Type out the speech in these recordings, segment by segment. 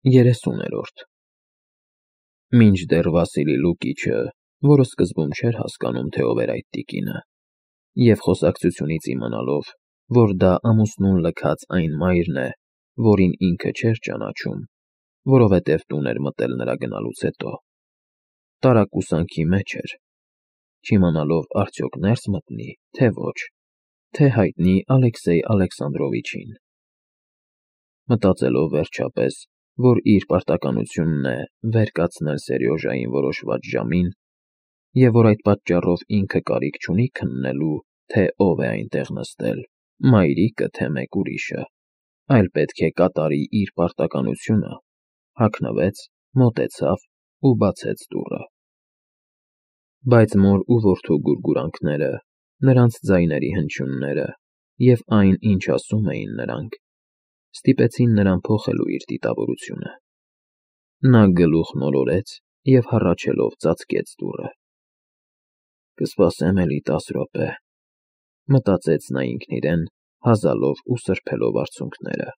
30-րդ Մինչդեռ Վասիլի Լուկիչը, որը սկզբում չէր հասկանում, թե ով էր այդ տիկինը, և խոսակցությունից իմանալով, որ դա ամուսնուն լքած այն մայրն է, որին ինքը չէր ճանաչում, որովհետև տուն էր մտել նրա գնալուց հետո, տարակուսանքի մեջ էր, չիմանալով արդյոք ներս մտնի, թե ոչ, թե հայտնի Ալեքսեյ Ալեքսանդրովիչին։ Մտածելով վերջապես, որ իր պարտականությունն է վեր կացնել Սերյոժային որոշված ժամին, և որ այդ պատճառով ինքը կարիք չունի քննելու, թե ով է այնտեղ նստել, մայրիկը, թե մեկ ուրիշը, այլ պետք է կատարի իր պարտականությունը, հագնվեց, մոտեցավ ու բացեց դուռը։ Բայց մոր ու որդու գուրգուրանքները, նրանց ձայների հնչյունները և այն, ինչ ասում էին նրանք, ստիպեցին նրան փոխելու իր դիտավորությունը։ Նա գլուխ մոլորեց և հառաչելով ծածկեց դուռը։ «Կսպասեմ էլի 10 րոպե», մտածեց նա ինքն իրեն, հազալով ու սրբելով արցունքները։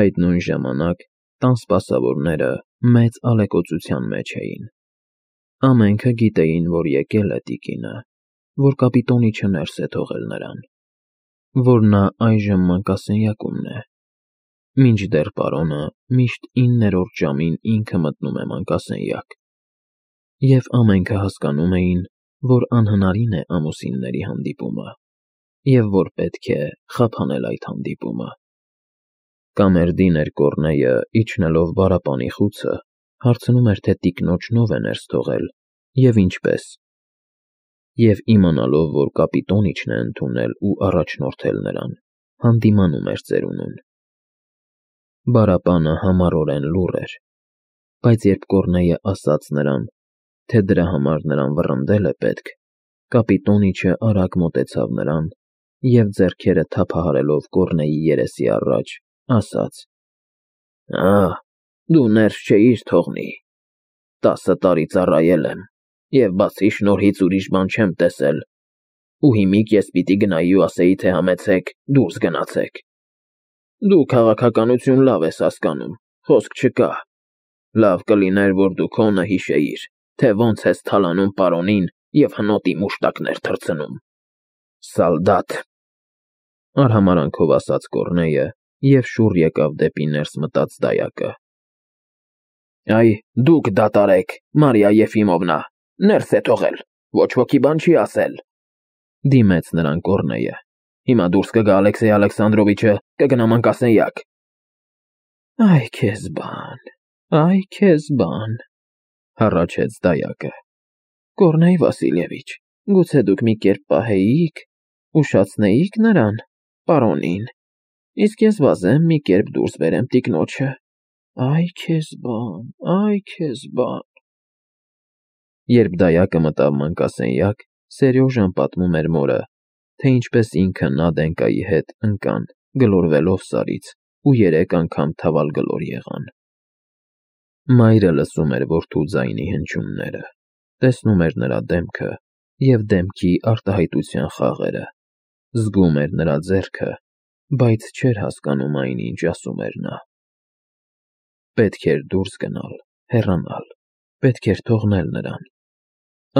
Այդ նույն ժամանակ տան սպասավորները մեծ ալեկոծության մեջ էին։ Ամենքը գիտեին, որ եկել է տիկինը, որ կապիտոնիչը ներս է թողել նրան, որ նա այժմ մանկասենյակումն է, մինչդեռ պարոնը միշտ 9-րդ ժամին ինքը մտնում է մանկասենյակ, և ամենքը հասկանում էին, որ անհնարին է ամուսինների հանդիպումը, և որ պետք է խափանել այդ հանդիպումը։ Կամերդիներ Կոռնեյը, իջնելով բարապանի խուցը, հարցնում էր, թե տիկնոջն ով է ներս թողել և ինչպես, և իմանալով, որ կապիտոնիչն է ընդունել ու առաջնորդել նրան, հանդիմանում էր ծերունուն։ Բարապանը համառորեն լուռ էր, բայց երբ Կոռնեյը ասաց նրան, թե դրա համար նրան վռնդել է պետք, կապիտոնիչը արագ մոտեցավ նրան և ձեռքերը թափահարելով Կոռնեյի երեսի առաջ, ասաց. Դու ներս չէիր թողնի, 10 տարի ծառայել եմ, և բացի շնորհից ուրիշ բան չեմ տեսել, ու հիմիկ ես պիտի գնայի ու ասեի, թե համեցեք, դուրս գնացեք։ Դու քաղաքականություն լավ ես հասկանում, խոսք չկա, լավ կլիներ, որ դու քոնը հիշեիր, թե ոնց ես թալանում պարոնին և հնոտի մուշտակներ թռցնում։ Սալդատ, արհամարանքով ասաց Կոռնեյը և շուռ եկավ դեպի ներս մտած դայակը։ Այ, դուք դատարեք, Մարիա Եֆիմովնա, ներս է թողել, ոչ ոքի բան չի ասել, դիմեց նրան Կոռնեյը։ Հիմա դուրս կգա Ալեքսեյ Ալեքսանդրովիչը, կգնա մանկասենյակ։ Այ քեզ բան, հառաչեց դայակը։ Կոռնեյ Վասիլևիչ, գուցե դուք մի կերպ պահեիք, ուշացնեիք նրան, պարոնին, իսկ ես վազեմ մի կերպ դուրս բերեմ տիկնոջը։ Այ քեզ բան։ Երբ դայակը մտավ մանկասենյակ, Սերյոժան պատմում էր մորը, թե ինչպես ինքը Նադենկայի հետ ընկան, գլորվելով Սարից, ու 3 անգամ թավալգլոր եղան։ Մայրը լսում էր որդու ձայնի հնչյունները, տեսնում էր նրա դեմքը և դեմքի արտահայտության խաղերը, զգում էր նրա ձեռքը, բայց չէր հասկանում այն, ինչ ասում էր նա։ Պետք էր դուրս գնալ, հեռանալ, պետք էր թողնել նրան։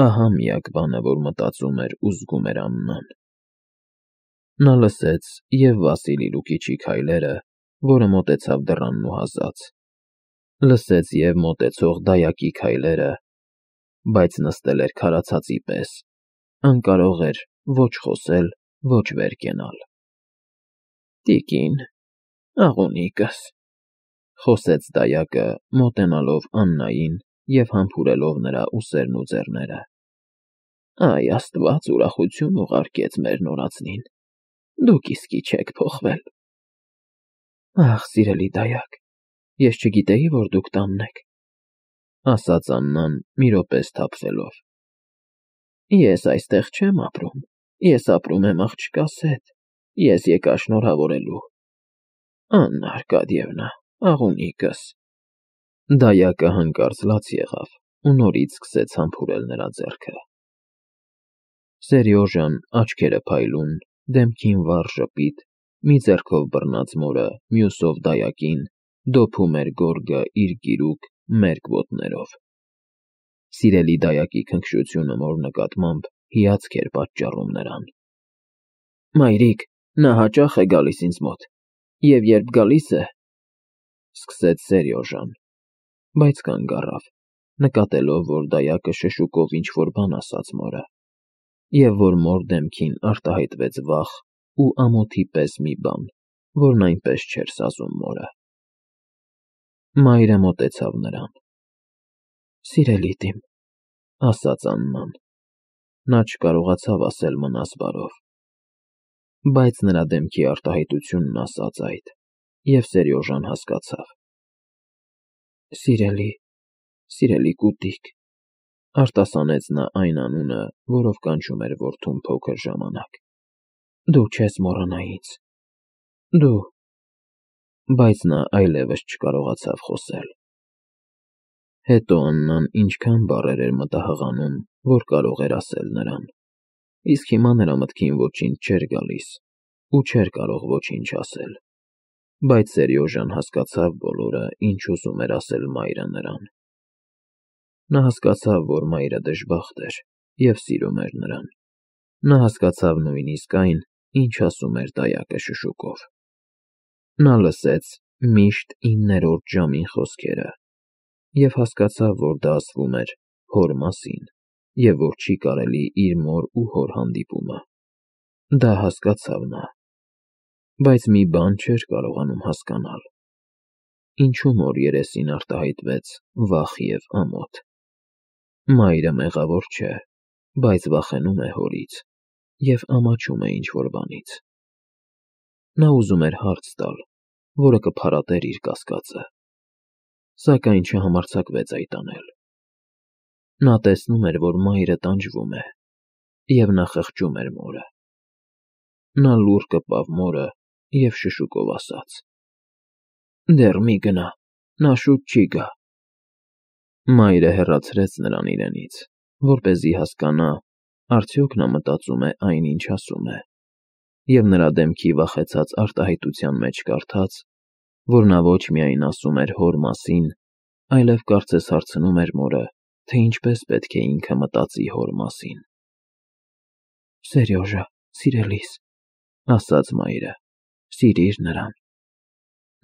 Ահա միակ բանը, որ մտածում էր ու զգում էր Աննան։ Նա լսեց և Վասիլի Լուկիչի քայլերը, որը մոտեցավ դռանն ու հազաց, լսեց և մոտեցող դայակի քայլերը, բայց նստել էր քարացածի պես, անկարող էր ոչ խոսել, ոչ վեր կենալ։ Տիկին, աղունիկս, խոսեց դայակը, մոտենալով Աննային և համբուրելով նրա ուսերն ու ձեռները։ Այ Աստված ուրախություն ուղարկեց մեր նորածնին, դուք իսկի չեք փոխվել։ Ախ, սիրելի դայակ, ես չգիտեի, որ դուք տանն եք, ասաց Աննան մի րոպե սթափվելով։ Ես այստեղ չեմ ապրում, ես ապրում եմ աղջկաս հետ, ես եկա շնորհավորելու։ Աննա Արկադիևնա, աղունիկս։ Դայակը հանկարծ լաց եղավ ու նորից սկսեց համբուրել նրա ձեռքը։ Սերյոժան, աչքերը փայլուն, դեմքին վառ ժպիտ, մի ձեռքով բռնած մորը, մյուսով դայակին, դոփում էր գորգը իր գիրուկ մերկ ոտներով։ Սիրելի դայակի քնքշությունը մոր նկատմամբ հիացք էր պատճառում նրան։ Մայրիկ, նա հաճախ է գալիս ինձ մոտ, և երբ գալիս է, սկսեց Սերյոժան, բայց կանգ առավ, նկատելով, որ դայակը շշուկով ինչ-որ բան ասաց մորը, և որ մոր դեմքին արտահայտվեց վախ ու ամոթի պես մի բան, որն այնպես չէր սազում մորը։ Մայրը մոտեցավ նրան. Սիրելի տիմ, ասաց Աննան, նա չկարողացավ ասել մնաս բարով, բայց նրա դեմքի արտահայտությունն ասաց այդ, և Սերյոժան հասկացավ. Սիրելի կուտիկ, արտասանեց նա այն անունը, որով կանչում էր որդուն փոքր ժամանակ, դու չես մոռանա ինձ, դու… Բայց նա այլևս չկարողացավ խոսել։ Հետո Աննան ինչքան բառեր էր մտահղանում, որ կարող էր ասել նրան, իսկ հիմա նրա մտքին ոչինչ չէր գալիս ու չէր կարող ոչինչ ասել, բայց Սերյոժան հասկացավ բոլորը, ինչ ուզում էր ասել մայրը նրան։ Նա հասկացավ, որ մայրը դժբախտ էր և սիրում էր նրան։ Նա հասկացավ նույնիսկ այն, ինչ ասում էր դայակը շշուկով։ Նա լսեց միշտ 9-րդ ժամին խոսքերը և հասկացավ, որ դա ասվում էր հոր մասին և որ չի կարելի իր մոր ու հոր հանդիպումը։ Դա հասկացավ նա, բայց մի բան չէր կարողանում հասկանալ. ինչու մոր երեսին արտահայտվեց վախ և ամոթ։ Մայրը մեղավոր չէ, բայց վախենում է հորից և ամաչում է ինչ-որ բանից։ Նա ուզում էր հարց տալ, որը կփարատեր իր կասկածը, սակայն չհամարձակվեց այդ անել։ Նա տեսնում էր, որ մայրը տանջվում է, և նա խղճում էր մորը։ Նա լուռ կպավ մորը և շշուկով ասաց. Դեռ մի գնա, նա շուտ չի գա։ Մայրը հեռացրեց նրան իրենից, որպեսզի հասկանա, արդյոք նա մտածում է այն, ինչ ասում է, և նրա դեմքի վախեցած արտահայտության մեջ կարդաց, որ նա ոչ միայն ասում էր հոր մասին, այլև կարծես հարցնում էր մորը, թե ինչպես պետք է ինքը մտածի հոր մասին։ Սերյոժա, սիրելիս, ասաց մայրը, սիրիր նրան։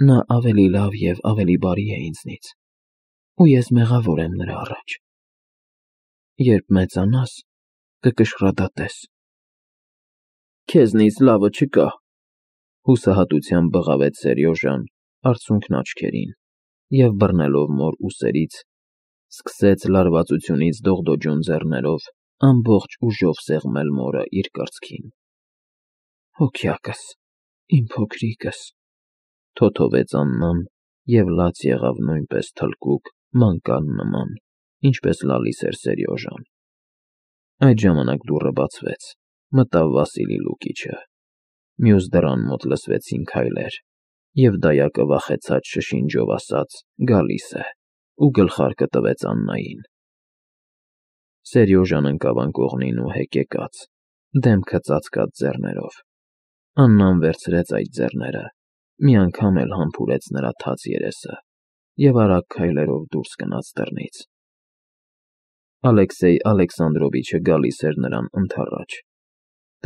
Նա ավելի լավ և ավելի բարի է ինձնից, ու ես մեղավոր եմ նրա առաջ։ Երբ մեծանաս, կկշռադատես։ Քեզնից լավը չկա, հուսահատությամբ բղավեց Սերյոժան, արցունքն աչքերին, և բռնելով մոր ուսերից, սկսեց լարվածությունից դողդոջուն ձեռներով ամբողջ ուժով սեղմել մորը իր կրծքին։ Հոգյակս, իմ փոքրիկս, թոթովեց Աննան և լաց եղավ նույնպես թլկուկ, մանկան նման, ինչպես լալիս էր Սերյոժան։ Այդ ժամանակ դուռը բացվեց, մտավ Վասիլի Լուկիչը։ Մյուս դռան մոտ լսվեցին քայլեր, և դայակը վախեցած շշինջով ասաց. գալիս է, ու գլխարկը տվեց Աննային։ Սերյոժան ընկավ անկողնին ու հեկեկաց, դեմքը ծածկած ձեռներով։ Աննան վերցրեց այդ ձեռները, մի անգամ էլ համբուրեց նրա թաց երեսը և արագ քայլերով դուրս գնաց դռնից։ Ալեքսեյ Ալեքսանդրովիչը գալիս էր նրան ընդառաջ։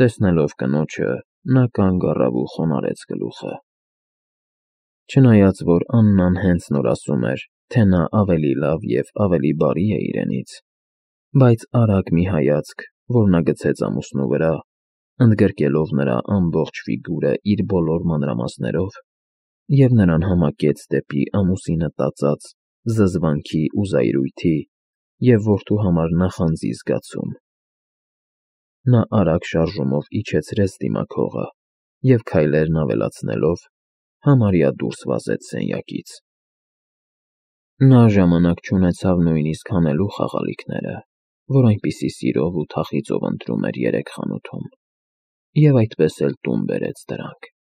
Տեսնելով կնոջը, նա կանգ առավ ու խոնարհեց գլուխը։ Չնայած որ Աննան հենց նոր ասում էր, թե նա ավելի լավ և ավելի բարի է իրենից, բայց արագ մի հայացք, որ նա գցեց ամուսնու վրա, ընդգրկելով նրա ամբողջ ֆիգուրը իր բոլոր մանրամասներով, և նրան համակեց դեպի ամուսինը տածած զզվանքի ու զայրույթի և որդու համար նախանձի զգացում։ Նա արագ շարժումով իջեցրեց դիմաքողը և քայլերն ավելացնելով, համարյա դուրս վազեց սենյակից։ Նա ժամանակ չունեցավ նույնիսկ հանելու խաղալիքները, որ այնպիսի սիրով ու թախիծով ընտրում էր երեկ խանութում, և այդպես էլ տուն բերեց դրանք։